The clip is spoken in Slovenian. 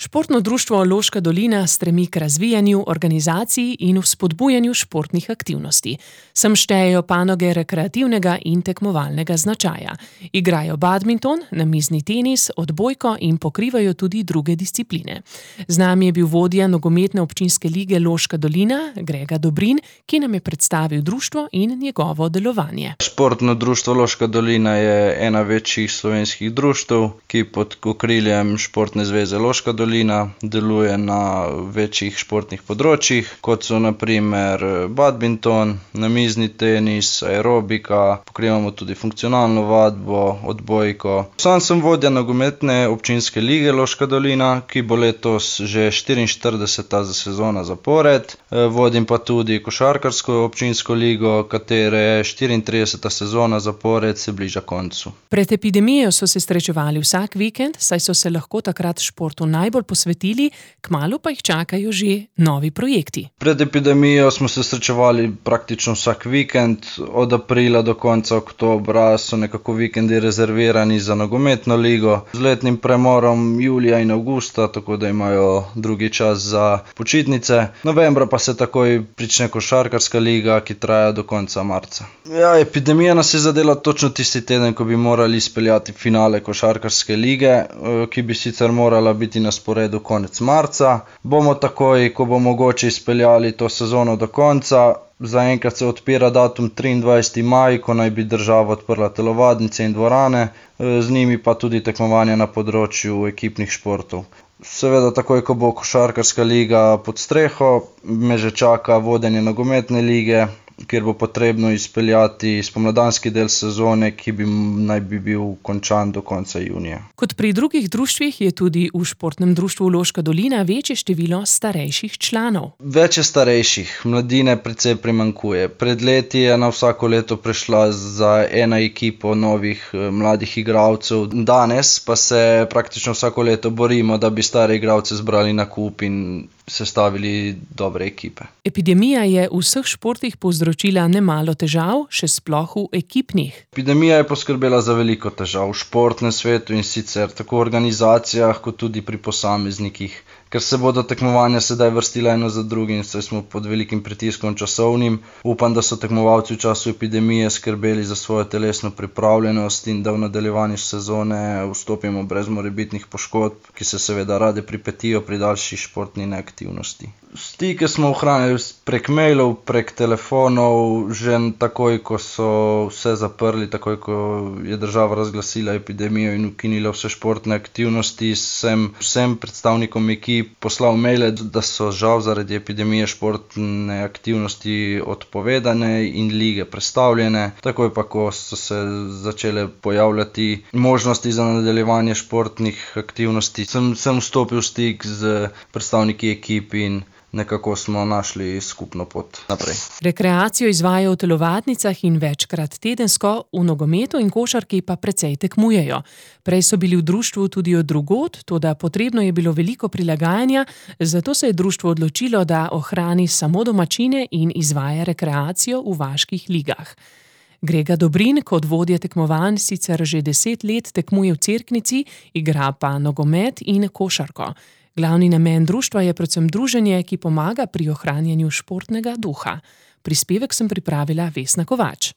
Športno društvo Loška dolina stremi k razvijanju, organizaciji in vzpodbujanju športnih aktivnosti. Sem štejejo panoge rekreativnega in tekmovalnega značaja. Igrajo badminton, namizni tenis, odbojko in pokrivajo tudi druge discipline. Z nami je bil vodja nogometne občinske lige Loška dolina, Grega Dobrin, ki nam je predstavil društvo in njegovo delovanje. Športno društvo Loška dolina je ena večjih slovenskih društev, ki pod okriljem Športne zveze Loška dolina deluje na večjih športnih področjih, kot so na primer badminton, namizni tenis, aerobika, pokrivamo tudi funkcionalno vadbo, odbojko. Sam sem vodja nogometne občinske lige Loška dolina, ki bo letos že 44. sezona zapored. Vodim pa tudi košarkarsko občinsko ligo, katere 34. sezona zapored se bliža koncu. Pred epidemijo so se srečevali vsak vikend, saj so se lahko takrat športu najbolj posvetili, kmalu pa jih čakajo že novi projekti. Pred epidemijo smo se srečevali praktično vsak vikend, od aprila do konca oktobra so nekako vikendi rezervirani za nogometno ligo, z letnim premorom julija in avgusta, tako da imajo drugi čas za počitnice. Novembra pa se takoj prične košarkarska liga, ki traja do konca marca. Epidemija nas je zadela točno tisti teden, ko bi morali izpeljati finale košarkarske lige, ki bi sicer morala biti na sporedu konec marca. Bomo takoj, ko bo mogoče, izpeljali to sezono do konca. Zaenkrat se odpira datum 23. maj, ko naj bi država odprla telovadnice in dvorane, z njimi pa tudi tekmovanja na področju ekipnih športov. Seveda takoj, ko bo košarkarska liga pod streho, me že čaka vodenje nogometne lige, kjer bo potrebno izpeljati spomladanski del sezone, ki naj bi bil končan do konca junija. Kot pri drugih društvih je tudi v športnem društvu Loška dolina večje število starejših članov. Več je starejših, mladine precej primanjkuje. Pred leti je na vsako leto prišla za ena ekipo novih mladih igralcev. Danes pa se praktično vsako leto borimo, da bi stare igralce zbrali na kup in sestavili dobre ekipe. Epidemija je v vseh športih povzročila nemalo težav, še sploh v ekipnih. Epidemija je poskrbela za veliko težav v športnem svetu in sicer tako v organizacijah, kot tudi pri posameznikih. Ker se bodo tekmovanja sedaj vrstila eno za drugim, saj smo pod velikim pritiskom časovnim. Upam, da so tekmovalci v času epidemije skrbeli za svojo telesno pripravljenost in da v nadaljevanju sezone vstopimo brez morebitnih poškodb, ki se seveda rade pripetijo pri daljši športni neaktivnosti. Stike smo ohranili prek mailov, prek telefonov, že takoj, ko so vse zaprli, takoj, ko je država razglasila epidemijo in ukinila vse športne aktivnosti, sem vsem predstavnikom ekip poslal maile, da so žal zaradi epidemije športne aktivnosti odpovedane in lige prestavljene. Takoj pa, ko so se začele pojavljati možnosti za nadaljevanje športnih aktivnosti, sem vstopil v stik z predstavniki ekip in nekako smo našli skupno pot naprej. Rekreacijo izvajajo v telovadnicah in večkrat tedensko, v nogometu in košarki pa precej tekmujejo. Prej so bili v društvu tudi od drugod, toda potrebno je bilo veliko prilagajanja, zato se je društvo odločilo, da ohrani samo domačine in izvaja rekreacijo v vaških ligah. Grega Dobrin kot vodja tekmovanj sicer že 10 let tekmuje v Cerknici, igra pa nogomet in košarko. Glavni namen društva je predvsem druženje, ki pomaga pri ohranjanju športnega duha. Prispevek sem pripravila Vesna Kovač.